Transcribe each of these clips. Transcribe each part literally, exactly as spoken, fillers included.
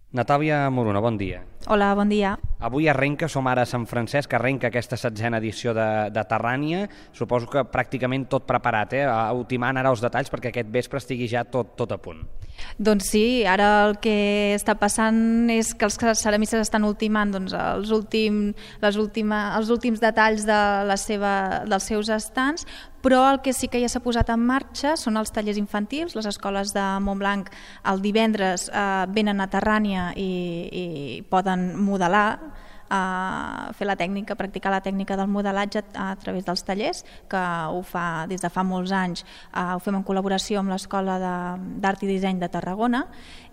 Natàlia Moruna, bon dia. Hola, bon dia. Avui arrenca, som ara a Sant Francesc, arrenca aquesta setzena edició de, de Terrània. Suposo que pràcticament tot preparat, eh? Ultimant ara els detalls perquè aquest vespre estigui ja tot, tot a punt. Doncs sí, ara el que està passant és que els ceramistes estan ultimant doncs, els, últim, les última, els últims detalls de la seva, dels seus estants, però el que sí que ja s'ha posat en marxa són els tallers infantils. Les escoles de Montblanc el divendres eh, venen a Terrània i, i poden modelar, a fer la tècnica, practicar la tècnica del modelatge a través dels tallers, que ho fa des de fa molts anys, ho fem en col·laboració amb l'Escola d'Art i Disseny de Tarragona,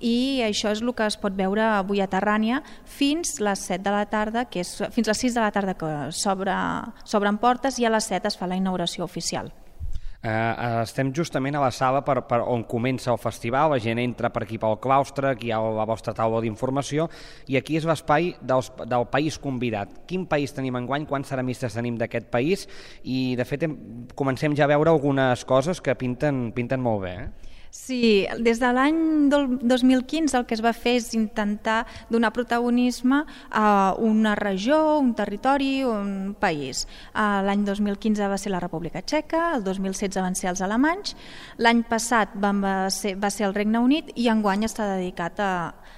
i això és el que es pot veure avui a Terrània fins les set de la tarda, que és fins les sis de la tarda que s'obren portes, i a les set es fa la inauguració oficial. Uh, estem justament a la sala per, per on comença el festival, la gent entra per aquí pel claustre, aquí hi ha la vostra taula d'informació, i aquí és l'espai del, del país convidat. Quin país tenim enguany, quants ceramistes tenim d'aquest país, i de fet hem, comencem ja a veure algunes coses que pinten, pinten molt bé, eh? Sí, des de l'any dos mil quinze el que es va fer és intentar donar protagonisme a una regió, un territori, un país. L'any dos mil quinze va ser la República Txeca, el dos mil setze van ser els alemanys, l'any passat van ser, va ser el Regne Unit, i enguany està dedicat a,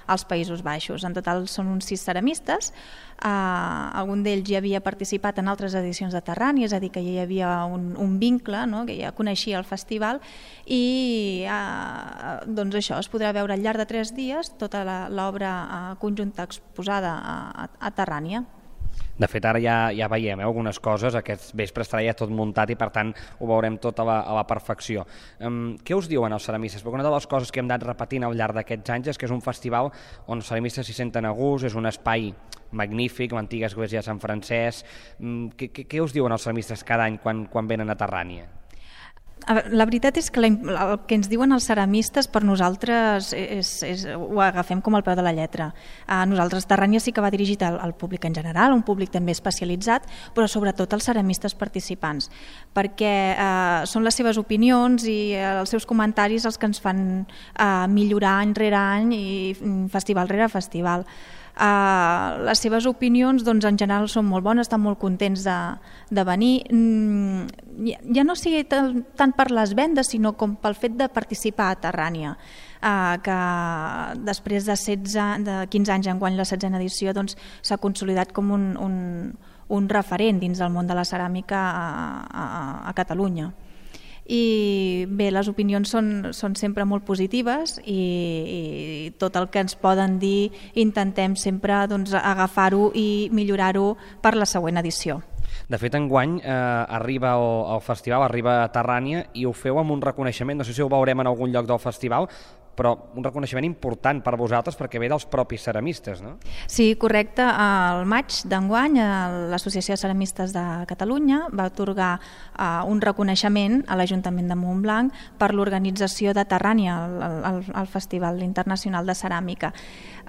als Països Baixos. En total són uns sis ceramistes. Uh, algun d'ells ja havia participat en altres edicions de Terrània, és a dir, que ja hi havia un, un vincle, no? Que ja coneixia el festival, i uh, doncs això, es podrà veure al llarg de tres dies tota l'obra uh, conjunta exposada a, a, a Terrània. De fet, ara ja, ja veiem eh, algunes coses, aquest vespre estarà ja tot muntat i per tant ho veurem tot a la, a la perfecció. Um, què us diuen els ceramistes? Perquè una de les coses que hem anat repetint al llarg d'aquests anys és que és un festival on els ceramistes s'hi senten a gust, és un espai magnífic, l'antiga església de Sant Francesc. Um, què, què, què us diuen els ceramistes cada any quan, quan venen a Terrània? La veritat és que el que ens diuen els ceramistes per nosaltres és, és, ho agafem com al peu de la lletra. A nosaltres Terrània sí que va dirigit al, al públic en general, un públic també especialitzat, però sobretot als ceramistes participants, perquè eh, són les seves opinions i els seus comentaris els que ens fan eh, millorar any rere any i festival rere festival. Uh, les seves opinions doncs, en general són molt bones, estan molt contents de, de venir, mm, ja, ja no sigui tant per les vendes sinó com pel fet de participar a Terrània, uh, que després de, setze, de quinze anys enguany la setzena edició doncs, s'ha consolidat com un, un, un referent dins del món de la ceràmica a, a, a Catalunya. I bé, les opinions són, són sempre molt positives i, i tot el que ens poden dir intentem sempre doncs, agafar-ho i millorar-ho per la següent edició. De fet, enguany eh, arriba al, al festival, arriba a Terrània i ho feu amb un reconeixement, no sé si ho veurem en algun lloc del festival, però un reconeixement important per vosaltres perquè ve dels propis ceramistes, no? Sí, correcte. Al maig d'enguany l'Associació de Ceramistes de Catalunya va atorgar uh, un reconeixement a l'Ajuntament de Montblanc per l'organització de Terrània, el, el, el Festival Internacional de Ceràmica.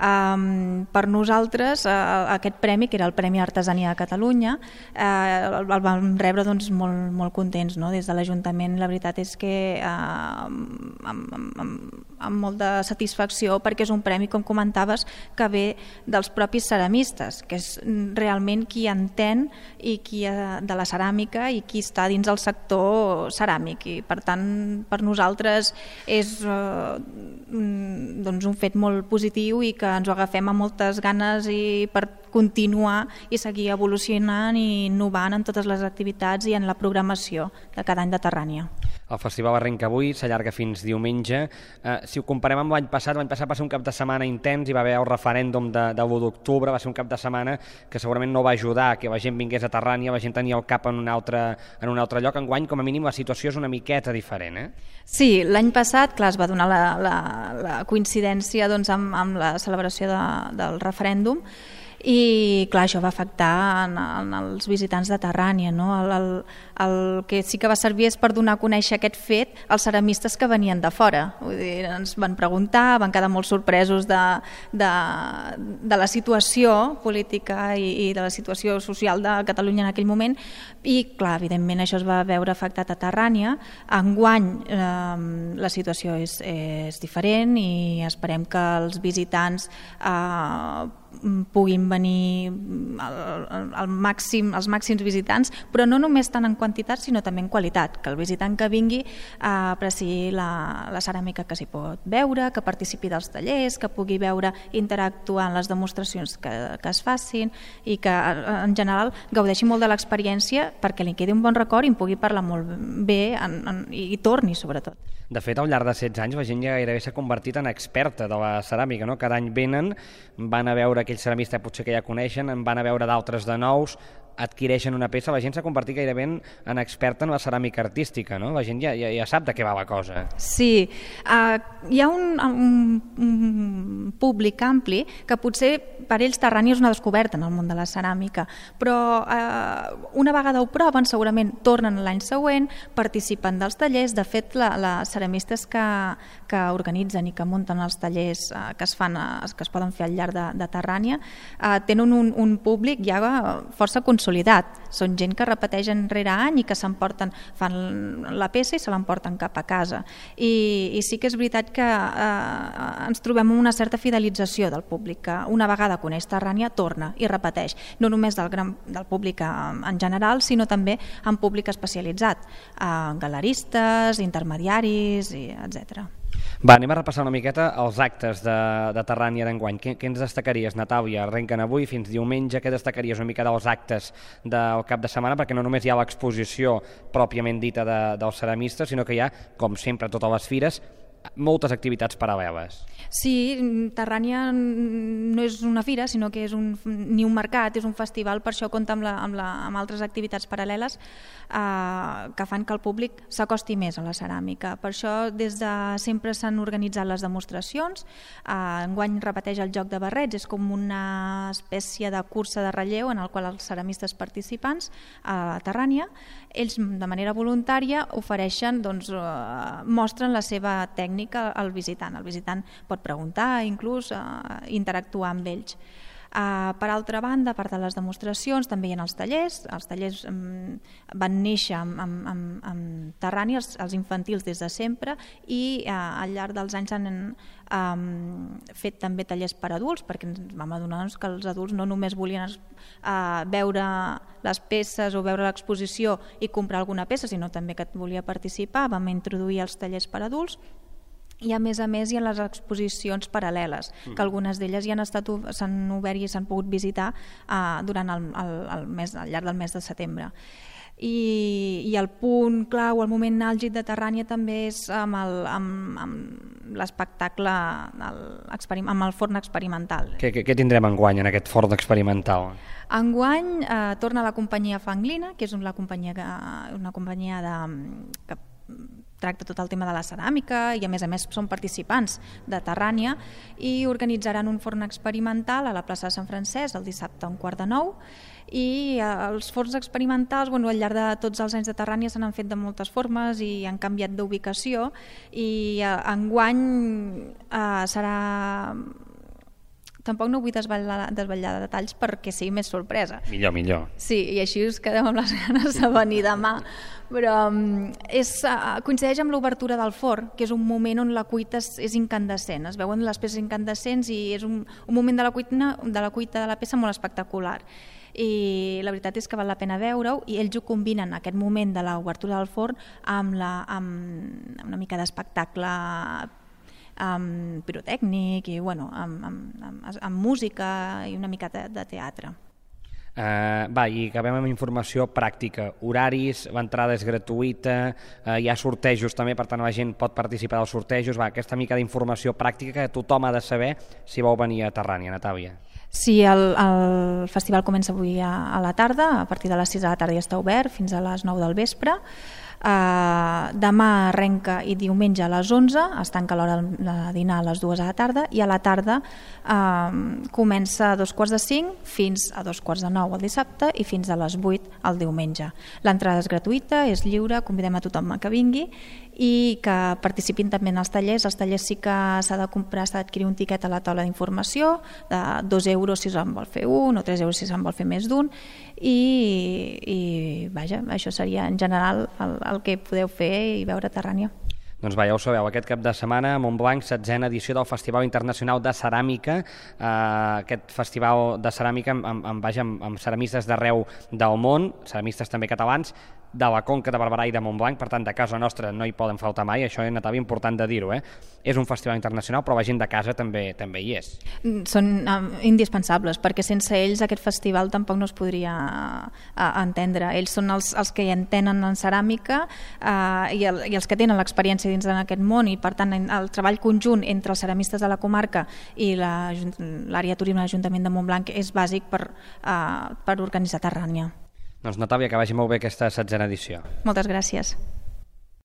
Um, per nosaltres uh, aquest premi, que era el Premi Artesania de Catalunya, uh, el vam rebre doncs, molt, molt contents, no? Des de l'Ajuntament. La veritat és que uh, amb, amb, amb molta satisfacció, perquè és un premi, com comentaves, que ve dels propis ceramistes, que és realment qui entén i qui de la ceràmica i qui està dins el sector ceràmic, i per tant per nosaltres és uh, doncs un fet molt positiu i que ens ho agafem amb moltes ganes i per continuar i seguir evolucionant i innovant en totes les activitats i en la programació de cada any de Terrània. El festival arrenca avui, s'allarga fins diumenge. Eh, si ho comparem amb l'any passat, l'any passat va ser un cap de setmana intens, hi va haver el referèndum de, de l'u d'octubre, va ser un cap de setmana que segurament no va ajudar que la gent vingués a Terrània, la gent tenia el cap en un altre, en un altre lloc. Enguany, com a mínim, la situació és una miqueta diferent, eh? Sí, l'any passat, clar, es va donar la, la, la coincidència doncs, amb, amb la celebració de, del referèndum, I clar, això va afectar en, en els visitants de Terrània, no? El, el, el que sí que va servir és per donar a conèixer aquest fet als ceramistes que venien de fora. Vull dir, ens van preguntar, van quedar molt sorpresos de, de, de la situació política i, i de la situació social de Catalunya en aquell moment, i clar, evidentment això es va veure afectat a Terrània. Enguany eh, la situació és, és diferent i esperem que els visitants eh, puguin venir al, al màxim, els màxims visitants, però no només tant en quantitat sinó també en qualitat, que el visitant que vingui eh, apreciï la, la ceràmica que s'hi pot veure, que participi dels tallers, que pugui veure interactuar en les demostracions que, que es facin i que en general gaudeixi molt de l'experiència perquè li quedi un bon record i en pugui parlar molt bé en, en, i torni sobretot. De fet, al llarg de setze anys la gent ja gairebé s'ha convertit en experta de la ceràmica, no? Cada any venen, van a veure aquell ceramista potser que ja coneixen, en van a veure d'altres de nous, adquireixen una peça, la gent s'ha convertit gairebé en, en experta en la ceràmica artística, no? La gent ja, ja, ja sap de què va la cosa. Sí, uh, hi ha un, un, un públic ampli que potser per ells Terrània és una descoberta en el món de la ceràmica, però uh, una vegada ho proven segurament tornen l'any següent, participen dels tallers. De fet, la, les ceramistes que, que organitzen i que munten els tallers uh, que es fan, uh, que es poden fer al llarg de, de Terrània uh, tenen un, un públic ja força consolidat. Són gent que repeteix any rere any i que s'emporten, fan la peça i se l'emporten cap a casa. I, i sí que és veritat que eh, ens trobem una certa fidelització del públic, que una vegada coneix Terrània torna i repeteix, no només del, gran, del públic en general, sinó també en públic especialitzat, eh, galeristes, intermediaris, i etcètera. Va, anem a repassar una miqueta els actes de, de Terrània d'enguany. Què, què ens destacaries, Natàlia? Arrenquen avui fins diumenge. Què destacaries una mica dels actes del cap de setmana? Perquè no només hi ha l'exposició pròpiament dita de, dels ceramistes, sinó que hi ha, com sempre a totes les fires, moltes activitats paral·leles. Sí, Terrània no és una fira, sinó que és un, ni un mercat, és un festival, per això compta amb, la, amb, la, amb altres activitats paral·leles eh, que fan que el públic s'acosti més a la ceràmica. Per això des de sempre s'han organitzat les demostracions. Eh, enguany repeteix el joc de barrets, és com una espècie de cursa de relleu en el qual els ceramistes participants a Terrània, ells de manera voluntària ofereixen, doncs, eh, mostren la seva tècnica al visitant. El visitant pot preguntar, inclús eh, interactuar amb ells. Uh, per altra banda, a part de les demostracions, també hi ha els tallers. Els tallers um, van néixer amb, amb, amb, amb Terrània, els, els infantils des de sempre, i uh, al llarg dels anys han um, fet també tallers per adults, perquè ens vam adonar doncs, que els adults no només volien uh, veure les peces o veure l'exposició i comprar alguna peça, sinó també que volia participar. Vam introduir els tallers per adults. I a més a més hi ha les exposicions paral·leles, que algunes d'elles ja han estat, s'han obert i s'han pogut visitar uh, durant el, el, el mes, al llarg del mes de setembre. I, i el punt clau, el moment àlgid de Terrània també és amb el, amb, amb l'espectacle, el, amb el forn experimental. Què, què, què tindrem enguany en aquest forn experimental? Enguany eh, torna la companyia Fanglina, que és una companyia, que, una companyia de, que tracta tot el tema de la ceràmica i a més a més són participants de Terrània, i organitzaran un forn experimental a la plaça de Sant Francesc el dissabte a un quart de nou. I els forns experimentals, bueno, al llarg de tots els anys de Terrània se n'han fet de moltes formes i han canviat d'ubicació, i eh, enguany eh, serà... Tampoc no vull desvetllar, desvetllar detalls perquè sigui més sorpresa. Millor, millor. Sí, i així us quedem amb les ganes de venir demà. Però és, coincideix amb l'obertura del forn, que és un moment on la cuita és, és incandescent. Es veuen les peces incandescents i és un, un moment de la, cuita, de la cuita de la peça molt espectacular. I la veritat és que val la pena veure-ho, i ells ho combinen, aquest moment de l'obertura del forn, amb, la, amb una mica d'espectacle amb pirotècnic i bueno, amb, amb, amb, amb música i una mica de, de teatre. Uh, va, i acabem amb informació pràctica, horaris, l'entrada és gratuïta, uh, hi ha sortejos també, per tant la gent pot participar dels sortejos. Va, aquesta mica d'informació pràctica que tothom ha de saber si vol venir a Terrània. Natàlia. Sí, el, el festival comença avui a, a la tarda, a partir de les sis de la tarda ja està obert fins a les nou del vespre. Uh, demà arrenca i diumenge a les onze, es tanca l'hora de dinar a les dues a la tarda, i a la tarda uh, comença a dos quarts de cinc fins a dos quarts de nou el dissabte i fins a les vuit el diumenge. L'entrada és gratuïta, és lliure, convidem a tothom a que vingui i que participin també en els tallers. Els tallers sí que s'ha de comprar, s'ha d'adquirir un tiquet a la taula d'informació, de dos euros si se'n vol fer un o tres euros si se'n vol fer més d'un, i, i vaja, això seria en general el, el que podeu fer i veure a Terrània. Doncs va, ja ho sabeu, aquest cap de setmana a Montblanc, setzena edició del Festival Internacional de Ceràmica, eh, aquest festival de ceràmica amb, amb, amb, vaja, amb, amb ceramistes d'arreu del món, ceramistes també catalans, de la Conca de Barberà i de Montblanc, per tant de casa nostra no hi poden faltar mai, això és Natàlia important de dir-ho, eh? És un festival internacional però la gent de casa també també hi és. Són um, indispensables, perquè sense ells aquest festival tampoc no es podria uh, entendre. Ells són els, els que hi entenen en ceràmica uh, i, el, i els que tenen l'experiència dins d'aquest món, i per tant el treball conjunt entre els ceramistes de la comarca i l'àrea turisme de l'Ajuntament de Montblanc és bàsic per, uh, per organitzar Terrània. Doncs Natàlia, que vagi molt bé aquesta setzena edició. Moltes gràcies.